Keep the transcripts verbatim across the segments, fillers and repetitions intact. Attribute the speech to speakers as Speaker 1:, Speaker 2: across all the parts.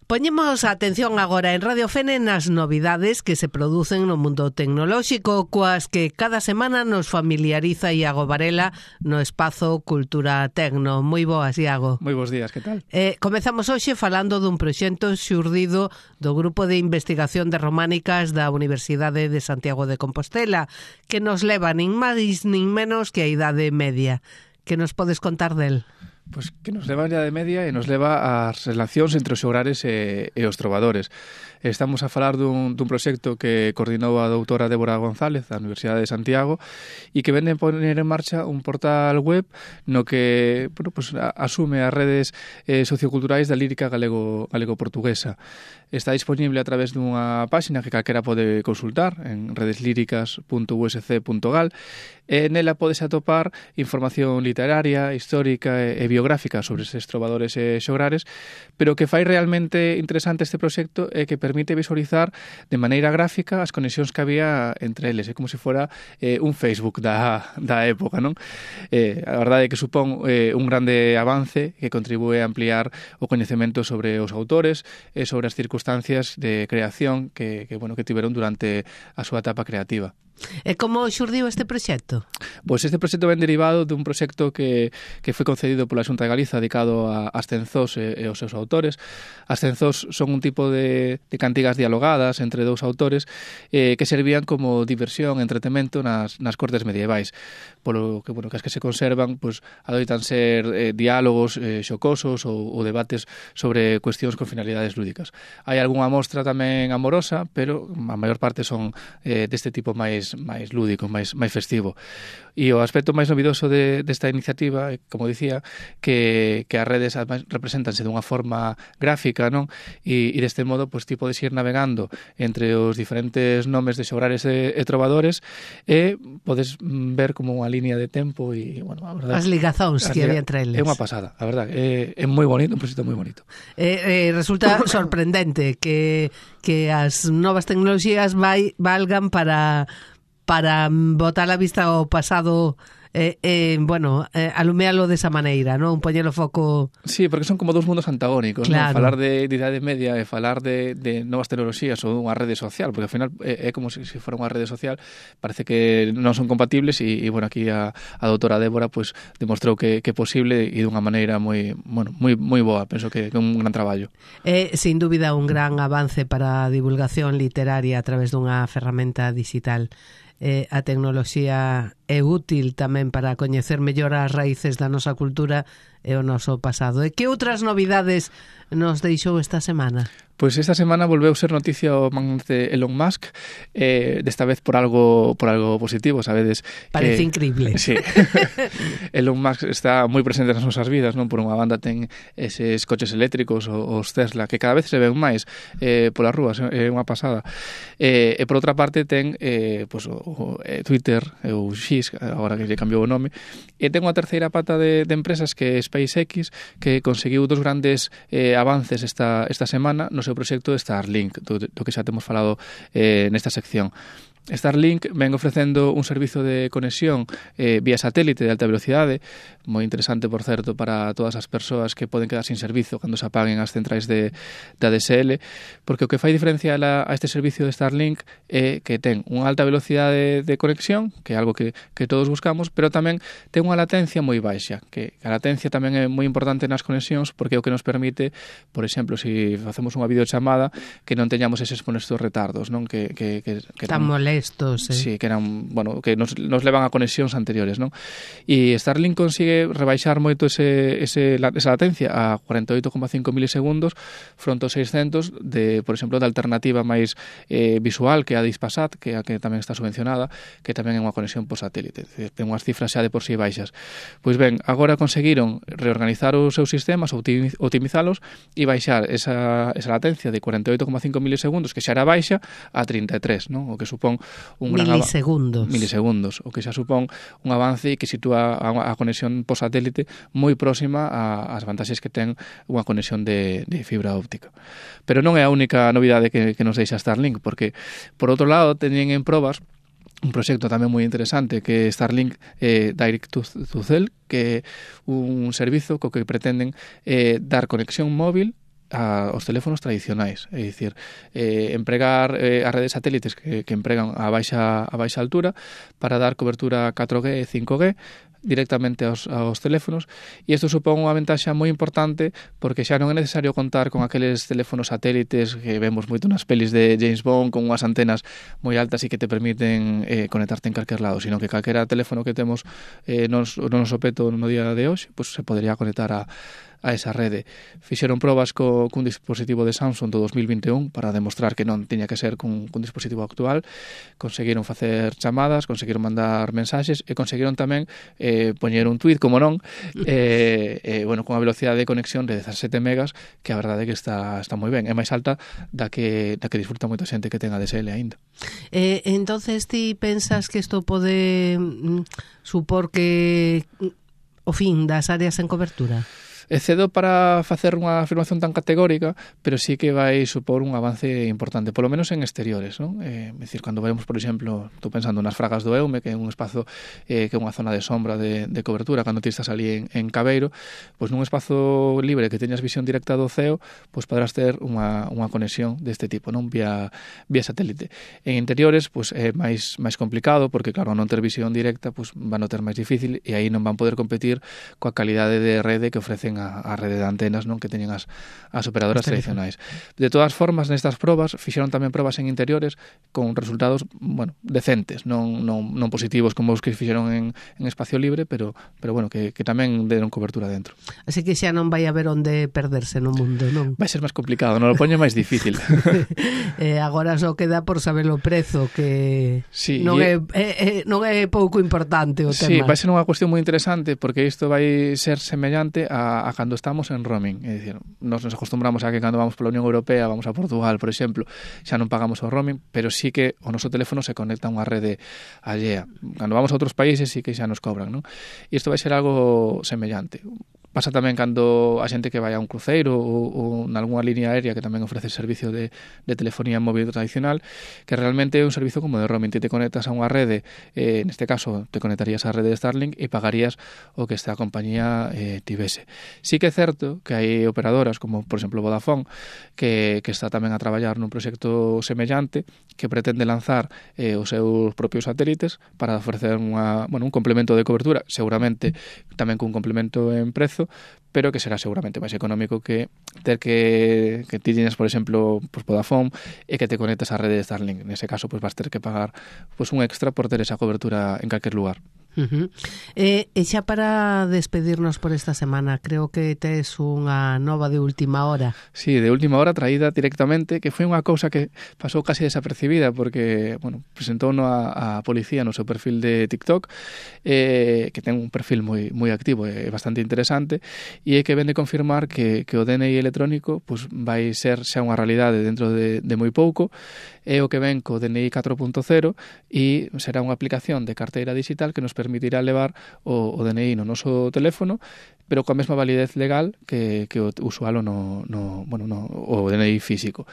Speaker 1: Poñemos a atención agora en Radio Fene nas novidades que se producen no mundo tecnolóxico, coas que cada semana nos familiariza Iago Varela no espazo Cultura Tecno. Moi boas, Iago.
Speaker 2: Moi bons días, que tal?
Speaker 1: Eh, comezamos hoxe falando dun proxecto xurdido do Grupo de Investigación de Románicas da Universidade de Santiago de Compostela, que nos leva nin máis nin menos que a Idade Media. Que nos podes contar del?
Speaker 2: Pois que nos leva a Idade Media e nos leva ás relacións entre os xogares e, e os trovadores. Estamos a falar dun, dun proxecto que coordinou a doutora Débora González da Universidade de Santiago e que vende a poner en marcha un portal web no que bueno, pues, asume as redes eh, socioculturais da lírica galego, galego-portuguesa. Está disponible a través dunha páxina que calquera pode consultar en redeslíricas punto u s c punto gal e nela podes atopar información literaria, histórica e, e biográfica sobre estes trovadores e xogares, pero que fai realmente interesante este proxecto é que permite visualizar de maneira gráfica as conexións que había entre eles. É como se fora eh, un Facebook da, da época, non? Eh, a verdade é que supón eh, un grande avance que contribúe a ampliar o coñecemento sobre os autores e sobre as circunstancias de creación que, que, bueno, que tiveron durante a súa etapa creativa.
Speaker 1: E como xurdiu este proxecto?
Speaker 2: Pois este proxecto ven derivado dun proxecto que, que foi concedido pola Xunta de Galiza dedicado a, as cenzós e, e aos seus autores. As cenzós son un tipo de, de cantigas dialogadas entre dous autores eh, que servían como diversión, entretemento nas, nas cortes medievais. Polo que, bueno, que as que se conservan pois, adoitan ser eh, diálogos eh, xocosos ou, ou debates sobre cuestións con finalidades lúdicas. Hai algunha mostra tamén amorosa, pero a maior parte son eh, deste tipo máis máis lúdico, máis máis festivo. E o aspecto máis novidoso de desta iniciativa, como dicía, que que as redes representanse dunha forma gráfica, non? E, e deste modo, pois ti podes ir navegando entre os diferentes nomes de xogares e, e trovadores e podes ver como unha línea de tempo e, bueno, a verdade,
Speaker 1: as ligazóns que había entre eles.
Speaker 2: É unha pasada, a verdade, é, é moi bonito, un proxecto moi bonito.
Speaker 1: Eh, eh, resulta sorprendente que que as novas tecnoloxías vai valgan para para botar a vista ao pasado eh, eh, bueno, eh, alumealo desa maneira, non? Poñelo foco...
Speaker 2: Sí, porque son como dous mundos antagónicos,
Speaker 1: claro.
Speaker 2: Non? Falar de, de Idade Media e falar de, de novas tecnoloxías ou unha rede social, porque ao final é, é como se, se fora unha rede social, parece que non son compatibles e, e bueno, aquí a, a doutora Débora pues, demostrou que, que é posible e dunha maneira moi, bueno, moi, moi boa, penso que é un gran traballo.
Speaker 1: É, sin dúbida, un gran avance para a divulgación literaria a través dunha ferramenta digital. Eh, a tecnoloxía é útil tamén para coñecer mellor as raíces da nosa cultura e o noso pasado. E que outras novidades nos deixou esta semana?
Speaker 2: Pois esta semana volveu ser noticia o magnate Elon Musk, eh, desta vez por algo por algo positivo, sabedes?
Speaker 1: Parece
Speaker 2: que,
Speaker 1: increíble.
Speaker 2: Sí. Elon Musk está moi presente nas nosas vidas, non? Por unha banda ten eses coches eléctricos, os Tesla, que cada vez se ven máis eh, polas rúas, é unha pasada. Eh, e por outra parte ten eh, pues, o, o, eh, Twitter, ou X, agora que lle cambiou o nome, e ten unha terceira pata de, de empresas que é SpaceX, que conseguiu dos grandes eh, avances esta, esta semana no seu proxecto de Starlink, do, do que xa temos falado eh, nesta sección. Starlink ven ofrecendo un servizo de conexión eh, vía satélite de alta velocidade, moi interesante, por certo, para todas as persoas que poden quedar sin servizo cando se apaguen as centrais de, de A D S L, porque o que fai diferencia a, a este servicio de Starlink é que ten unha alta velocidade de conexión, que é algo que, que todos buscamos, pero tamén ten unha latencia moi baixa, que a latencia tamén é moi importante nas conexións, porque é o que nos permite, por exemplo, se si facemos unha videochamada, que non teñamos eses molestos retardos, non? Que, que, que, que
Speaker 1: tan molestos. Estos, eh.
Speaker 2: Sí, que eran, bueno, que nos, nos levan a conexións anteriores, non? E Starlink consigue rebaixar moito ese, ese, esa latencia a cuarenta e oito coma cinco milisegundos fronte aos seiscentos de, por exemplo, da alternativa máis eh, visual, que é a Dispasat, que é a que tamén está subvencionada, que tamén é unha conexión por satélite. Ten unhas cifras xa de por si baixas. Pois ben, agora conseguiron reorganizar os seus sistemas, optimizalos e baixar esa, esa latencia de cuarenta e oito coma cinco milisegundos, que xa era baixa, a trinta e tres, non? O que supón un
Speaker 1: milisegundos.
Speaker 2: Gran milisegundos, o que xa supón un avance e que sitúa a, a conexión por satélite moi próxima ás vantaxes que ten unha conexión de, de fibra óptica. Pero non é a única novidade que, que nos deixa Starlink, porque, por outro lado, teñen en probas un proxecto tamén moi interesante que é Starlink eh, Direct to, to Cell, que é un servizo co que pretenden eh, dar conexión móvil a, os teléfonos tradicionais, é dicir, eh, empregar eh, as redes satélites que, que empregan a baixa, a baixa altura para dar cobertura catro G e cinco G directamente aos, aos teléfonos, e isto supón unha ventaxa moi importante porque xa non é necesario contar con aqueles teléfonos satélites que vemos moito nas pelis de James Bond con unhas antenas moi altas e que te permiten eh, conectarte en calquer lado, sino que calquera teléfono que temos eh, nos, no noso peto no día de hoxe, pues, se podería conectar a a esa rede. Fixeron probas co, cun dispositivo de Samsung do dos mil vinte e un para demostrar que non tiña que ser cun, cun dispositivo actual. Conseguiron facer chamadas, conseguiron mandar mensaxes e conseguiron tamén eh, poñer un tweet, como non, eh, eh, bueno, con a velocidade de conexión de dezasete megas, que a verdade é que está, está moi ben. É máis alta da que, da que disfruta moita xente que ten A D S L aínda.
Speaker 1: Eh, entonces ti pensas que isto pode mm, supor que o fin das áreas en cobertura?
Speaker 2: É cedo para facer unha afirmación tan categórica, pero sí que vai supor un avance importante, polo menos en exteriores, non? É dicir, cando vemos, por exemplo, estou pensando nas Fragas do Eume, que é un espazo eh, que é unha zona de sombra de, de cobertura, cando ti estás ali en, en Cabeiro, pois nun espazo libre que teñas visión directa do ceo, pois podrás ter unha, unha conexión deste tipo, non? Vía, vía satélite. En interiores, pois é máis, máis complicado, porque claro, non ter visión directa, pois van a ter máis difícil e aí non van poder competir coa calidade de rede que ofrecen a, a rede de antenas, non, que teñen as, as operadoras tradicionais. De todas formas, nestas probas fixeron tamén probas en interiores con resultados, bueno, decentes, non, non, non positivos como os que fixeron en, en espacio libre, pero, pero bueno, que, que tamén deron cobertura dentro.
Speaker 1: Así que xa non vai haber onde perderse no mundo, non?
Speaker 2: Vai ser máis complicado, non lo poño máis difícil.
Speaker 1: eh, agora só queda por saber o prezo, que
Speaker 2: sí,
Speaker 1: non, é, é, é, non é pouco importante o tema.
Speaker 2: Sí, vai ser unha cuestión moi interesante porque isto vai ser semellante a a cando estamos en roaming, é dicir, nos nos acostumbramos a que cando vamos pola Unión Europea, vamos a Portugal, por exemplo, xa non pagamos o roaming, pero sí que o noso teléfono se conecta a unha rede allea. Cando vamos a outros países sí que xa nos cobran, non? E isto vai ser algo semellante. Pasa tamén cando a xente que vai a un cruceiro ou, ou nalgúna línea aérea que tamén ofrece servicio de, de telefonía móvil tradicional, que realmente é un servicio como de roaming. Te te conectas a unha rede, eh, neste caso te conectarías á rede de Starlink e pagarías o que esta compañía eh, tivese. Sí que é certo que hai operadoras como, por exemplo, Vodafone, que, que está tamén a traballar nun proxecto semellante que pretende lanzar eh, os seus propios satélites para ofrecer unha, bueno, un complemento de cobertura, seguramente tamén cun complemento en prezo, pero que será seguramente máis económico que ter que, que ti tienes, por exemplo, pues Vodafone e que te conectas á rede de Starlink. Nese caso, pues vas ter que pagar pues un extra por ter esa cobertura en calquer lugar.
Speaker 1: Uh-huh. E, e xa para despedirnos por esta semana, creo que tes unha nova de última hora.
Speaker 2: Sí, de última hora traída directamente, que foi unha cousa que pasou casi desapercibida porque, bueno, presentou a, a policía no seu perfil de TikTok, eh, que ten un perfil moi moi activo e bastante interesante, e é que ven de confirmar que, que o D N I electrónico pues, vai ser xa unha realidade dentro de, de moi pouco. É o que ven co D N I catro punto cero e será unha aplicación de carteira digital que nos permitirá levar o, o D N I no noso teléfono, pero coa mesma validez legal que, que o usualo no, no, bueno, no, o D N I físico.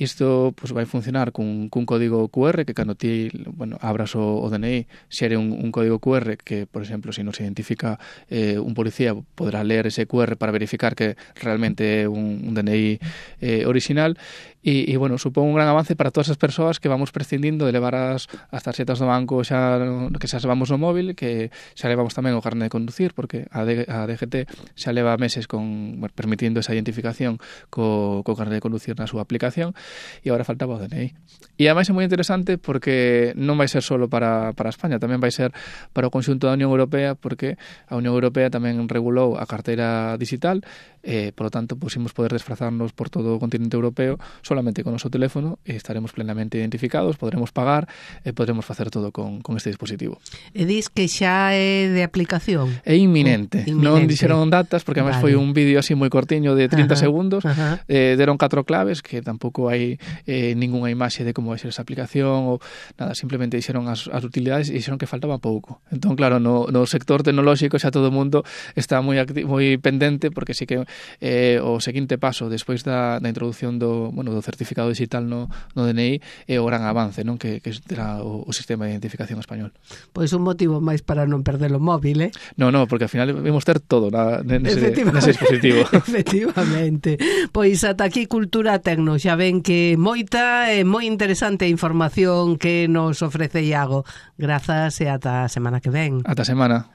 Speaker 2: Isto pues, vai funcionar cun, cun código Q R que cando ti bueno, abras o, o D N I xere un, un código Q R que, por exemplo, se nos identifica eh, un policía, podrá ler ese Q R para verificar que realmente é un, un D N I eh, original. E, e, bueno, supón un gran avance para todas as persoas que vamos prescindindo de levar as, as tarxetas do banco xa, que xa levamos no móvil, que xa levamos tamén o carné de conducir, porque a, D, a D G T xa leva meses con, bueno, permitindo esa identificación co, co carné de conducir na súa aplicación, e agora faltaba o D N I. E ademais é moi interesante porque non vai ser solo para, para España, tamén vai ser para o conxunto da Unión Europea, porque a Unión Europea tamén regulou a carteira digital, eh, por lo tanto, pues, imos poder desplazarnos por todo o continente europeo solamente con o noso teléfono e estaremos plenamente identificados, podremos pagar e podremos facer todo con, con este dispositivo.
Speaker 1: E dis que xa é de aplicación?
Speaker 2: É inminente. inminente. Non dixeron datas, porque además vale. Foi un vídeo así moi cortiño de trinta ajá, segundos, ajá. Eh, deron catro claves, que tampouco hai eh, ninguna imaxe de como vai ser esa aplicación, ou nada, simplemente dixeron as, as utilidades e dixeron que faltaba pouco. Entón, claro, no, no sector tecnolóxico xa todo o mundo está moi, acti- moi pendente, porque sí que eh, o seguinte paso, despois da, da introducción do, bueno, do o certificado digital no, no D N I é o gran avance, non, que, que terá o, o sistema de identificación español.
Speaker 1: Pois un motivo máis para non perder o móvil, eh?
Speaker 2: No, no, porque ao final vamos ter todo na, nese, nese dispositivo.
Speaker 1: Efectivamente. Pois ata aquí Cultura Tecno. Xa ven que moita e moi interesante información que nos ofrece Iago. Grazas e ata a semana que ven.
Speaker 2: Ata a semana.